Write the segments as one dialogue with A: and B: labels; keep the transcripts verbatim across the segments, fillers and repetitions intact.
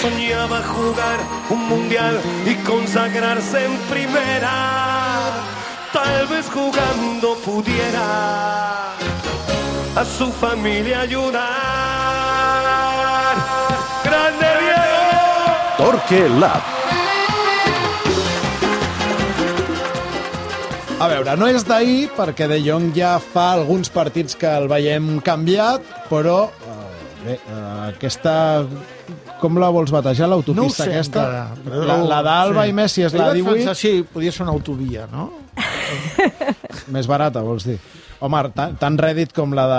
A: soñaba jugar un mundial y consagrarse en primera. Tal vez jugando pudiera a su familia ayudar. ¡Grande Diego!
B: Torque Lab.
C: A veure, no és d'ahir, perquè De Jong ja fa alguns partits que el veiem canviat, però eh, bé, eh, aquesta... Com la vols batejar, l'autopista
D: no
C: aquesta?
D: Encara, però...
C: La, la d'Alba sí. I Messi és la divuit?
D: Pensar, sí, podia ser una autovia, no?
C: Més barata, vols dir? Home, tan, tan rèdit com la de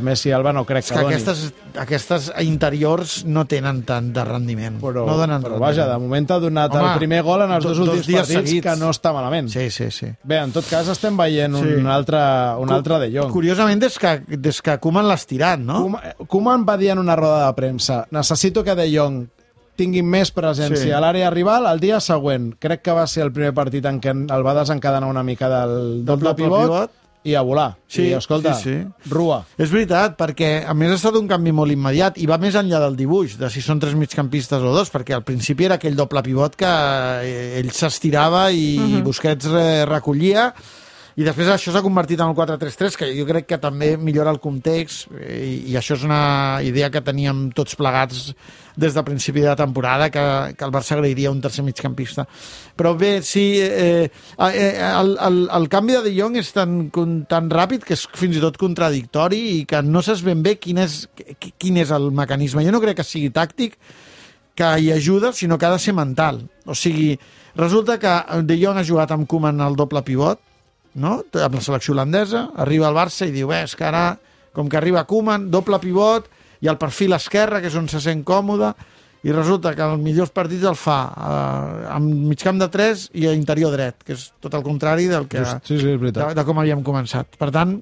C: Messi i Alba no crec
D: és
C: que,
D: que
C: doni.
D: Aquestes, aquestes interiors no tenen tant de rendiment.
C: Però,
D: no donen
C: però
D: rendiment.
C: vaja, de moment ha donat Home, el primer gol en els dos, dos últims partits, seguits. Que no està malament.
D: Sí, sí, sí.
C: Bé, en tot cas estem veient sí. un altre, un altre De Jong.
D: Curiosament, des que, des que Koeman l'ha estirat, no?
C: Koeman, Koeman va dir en una roda de premsa: necessito que De Jong tinguin més presència sí. a l'àrea rival el dia següent. Crec que va ser el primer partit en què el va desencadenar una mica del doble, doble pivot, pivot i a volar.
D: Sí,
C: I, escolta,
D: sí, sí.
C: rua.
D: És veritat, perquè a més ha estat un canvi molt immediat i va més enllà del dibuix, de si són tres migcampistes o dos, perquè al principi era aquell doble pivot que ell s'estirava i uh-huh. Busquets recollia, i després això s'ha convertit en el quatre tres tres, que jo crec que també millora el context, i, i això és una idea que teníem tots plegats des del principi de la temporada, que, que el Barça agrairia un tercer migcampista. Però bé, sí, eh, eh, el, el, el canvi de De Jong és tan, tan ràpid que és fins i tot contradictori i que no saps ben bé quin és, quin és el mecanisme. Jo no crec que sigui tàctic, que hi ajuda, sinó que ha de ser mental. O sigui, resulta que De Jong ha jugat amb Koeman al doble pivot, no? Amb la selecció holandesa, arriba al Barça i diu, bé, és que ara, com que arriba Koeman, doble pivot, i el perfil esquerre, que és on se sent còmode, i resulta que els millors partits el fa eh, amb migcamp de tres i a interior dret, que és tot el contrari del que,
C: sí, sí, és
D: de, de com havíem començat. Per tant,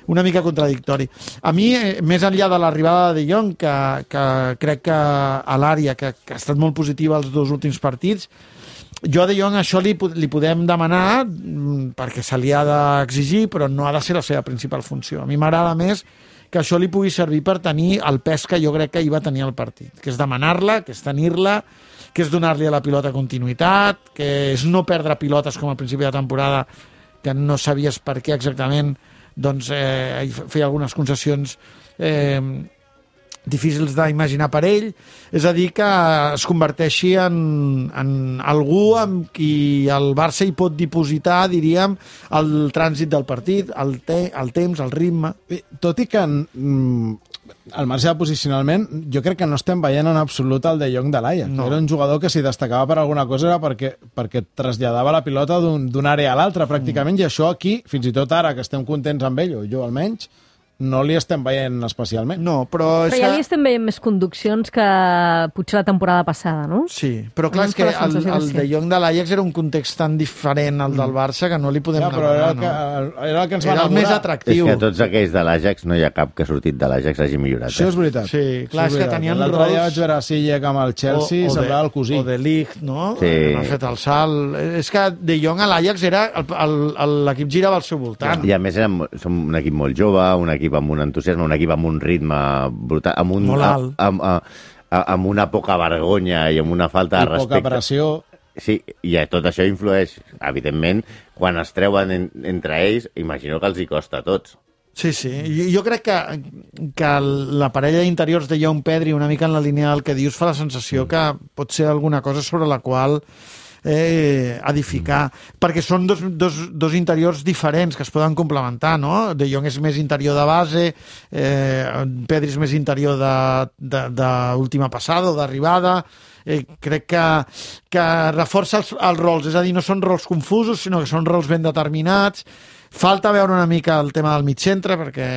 D: una mica contradictori. A mi, eh, més enllà de l'arribada de De Jong, que, que crec que a l'àrea, que, que ha estat molt positiva els dos últims partits, jo a De Jong això li, li podem demanar perquè se li ha d'exigir, però no ha de ser la seva principal funció. A mi m'agrada més que això li pugui servir per tenir el pes que jo crec que hi va tenir el partit, que és demanar-la, que és tenir-la, que és donar-li a la pilota continuïtat, que és no perdre pilotes com al principi de temporada, que no sabies per què exactament, doncs eh, feia algunes concessions eh, difícils d'imaginar per ell, és a dir, que es converteixi en, en algú amb qui el Barça hi pot dipositar, diríem, el trànsit del partit, el, te el temps, el ritme.
C: Tot i que mm, al marge de posicionalment, jo crec que no estem veient en absolut el De Jong de l'Ajax. No. Era un jugador que si destacava per alguna cosa era perquè, perquè traslladava la pilota d'una un àrea a l'altra, pràcticament, mm. i això aquí, fins i tot ara, que estem contents amb ell, o jo almenys, no li estem veient especialment.
D: No, però...
E: Però ja li estem veient més conduccions que potser la temporada passada, no?
D: Sí, però clar, és que el, el De Jong de l'Ajax era un context tan diferent al del Barça que no li podem
C: ja, però
D: demanar,
C: era el que,
D: no?
C: era el que ens va
D: era el
C: enamorar.
D: més atractiu.
F: És que tots aquells de l'Ajax no hi ha cap que ha sortit de l'Ajax hagi millorat.
C: Això és veritat.
D: Sí, clar, és, és que tenien
C: rols... L'altre dia vaig veure a Sillek amb el Chelsea, o, o semblava el cosí.
D: O de Ligt, no?
F: Sí.
D: No ha fet el salt. És que De Jong a l'Ajax era... L'equip girava al seu voltant.
F: I a més érem, som un equip molt jove, un equip amb un entusiasme, un equip amb un ritme brutal, amb, un,
D: molt alt.
F: Amb, amb, amb una poca vergonya i amb una falta
C: I
F: de respecte.
C: I poca pressió.
F: Sí, i tot això influeix, evidentment, quan es treuen en, entre ells, imagino que els hi costa a tots.
D: Sí, sí. Jo, jo crec que, que la parella d'interiors de Jong-Pedri, una mica en la línia del que dius, fa la sensació mm. que pot ser alguna cosa sobre la qual eh, edificar, mm. perquè són dos, dos, dos interiors diferents que es poden complementar, no? De Jong és més interior de base, eh, Pedri és més interior d'última passada o d'arribada. Eh, crec que, que reforça els, els rols, és a dir, no són rols confusos, sinó que són rols ben determinats. Falta veure una mica el tema del mig centre, perquè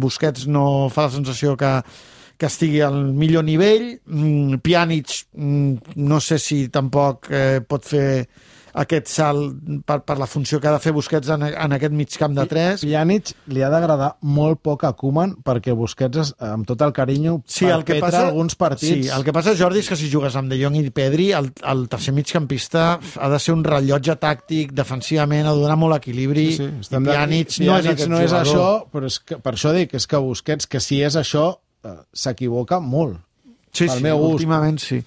D: Busquets no fa la sensació que que estigui al millor nivell. Mm, Pjanic, mm, no sé si tampoc eh, pot fer aquest salt per, per la funció que ha de fer Busquets en, en aquest migcamp de tres.
C: Pjanic li ha d'agradar molt poc a Koeman perquè Busquets, amb tot el carinyo,
D: sí, el que
C: perpetra
D: passa,
C: alguns partits.
D: Sí, el que passa, Jordi, és que si jugues amb De Jong i Pedri, el, el tercer migcampista ha de ser un rellotge tàctic, defensivament, ha de donar molt equilibri. Sí, sí, i Pjanic,
C: Pjanic
D: no és aquest
C: no és
D: jugador.
C: això, però és que, per això dic, és que Busquets, que si és això, s'equivoca molt.
D: Sí,
C: pel
D: sí,
C: meu gust.
D: últimament sí.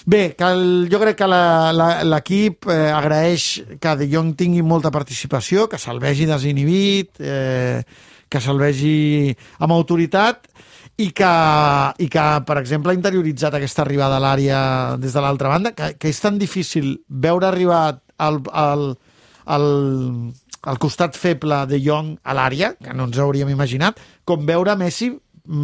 D: Bé, que el, jo crec que la- la- l'equip eh, agraeix que De Jong tingui molta participació, que se'l vegi desinhibit, eh, que se'l vegi amb autoritat i que, i que, per exemple, ha interioritzat aquesta arribada a l'àrea des de l'altra banda, que, que és tan difícil veure arribar al, al, al, al costat feble de Jong a l'àrea, que no ens hauríem imaginat, com veure Messi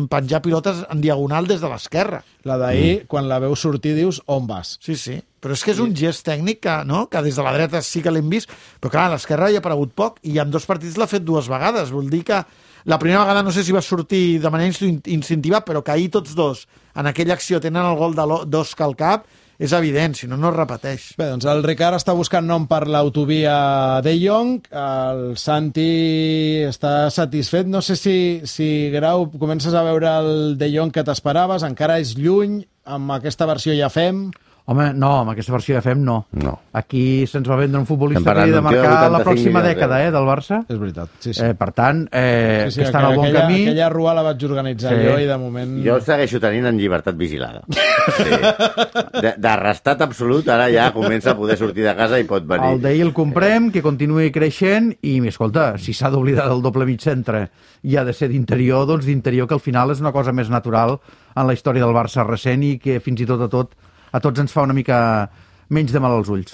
D: penjar pilotes en diagonal des de l'esquerra.
C: La d'ahir, mm. quan la veus sortir, dius, on vas?
D: Sí, sí. Però és que és un gest tècnic que, no? que des de la dreta sí que l'hem vist, però clar, a l'esquerra hi ha aparegut poc i en dos partits l'ha fet dues vegades. Vol dir que la primera vegada no sé si va sortir de manera instintiva, però que ahir tots dos en aquella acció tenen el gol de d'Osca al cap, és evident, si no, no es repeteix.
C: Bé, doncs el Ricard està buscant nom per l'autovia De Jong, el Santi està satisfet. No sé si, si Grau, comences a veure el De Jong que t'esperaves, encara és lluny, amb aquesta versió ja fem...
B: Home, no, amb aquesta versió de F E M no.
F: No.
B: Aquí se'ns va vendre un futbolista
F: Estem
B: que havia de
F: parlant d'un tio de
B: marcar la
F: vuitanta-cinc
B: pròxima
F: milions
B: dècada, eh, del Barça.
C: És veritat, sí, sí.
B: Eh, per tant, eh,
C: sí, sí,
B: que està en el bon
C: aquella,
B: camí.
C: Aquella rua la vaig organitzar
B: Sí.
C: jo i de moment...
F: Jo el segueixo tenint en llibertat vigilada. Sí. D'arrestat absolut, ara ja comença a poder sortir de casa i pot venir.
B: El d'ahir el comprem, que continuï creixent i, escolta, si s'ha d'oblidar del doble mig centre i ha de ser d'interior, doncs d'interior, que al final és una cosa més natural en la història del Barça recent i que fins i tot a tot a tots ens fa una mica menys de mal als ulls.